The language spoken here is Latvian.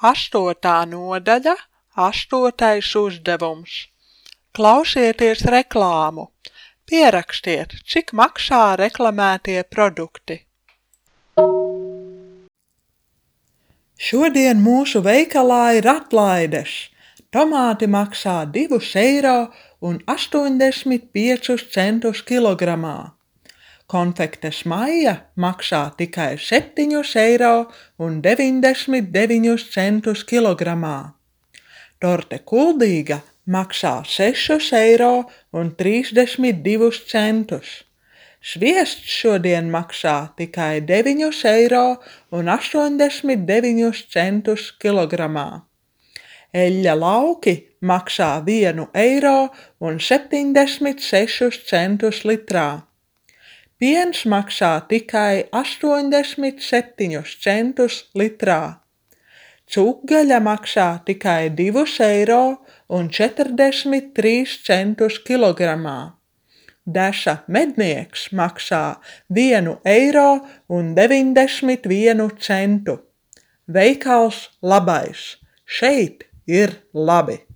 8. nodaļa, 8. uzdevums. Klausieties reklāmu. Pierakstiet, cik maksā reklamētie produkti. Šodien mūsu veikalā ir atlaides. Tomāti maksā 2,85 eiro kilogramā. Konfektes Maija maksā tikai 7,99 eiro kilogramā. Torte Kuldīga maksā 6,32 eiro. Sviests šodien maksā tikai 9,89 eiro kilogramā. Eļļa lauki maksā 1,76 eiro litrā. Piens maksā tikai 87 centus litrā. Cūkgaļa maksā tikai 2,43 eiro kilogramā. Deša mednieks maksā 1,91 eiro. Veikals Labais. Šeit ir labi!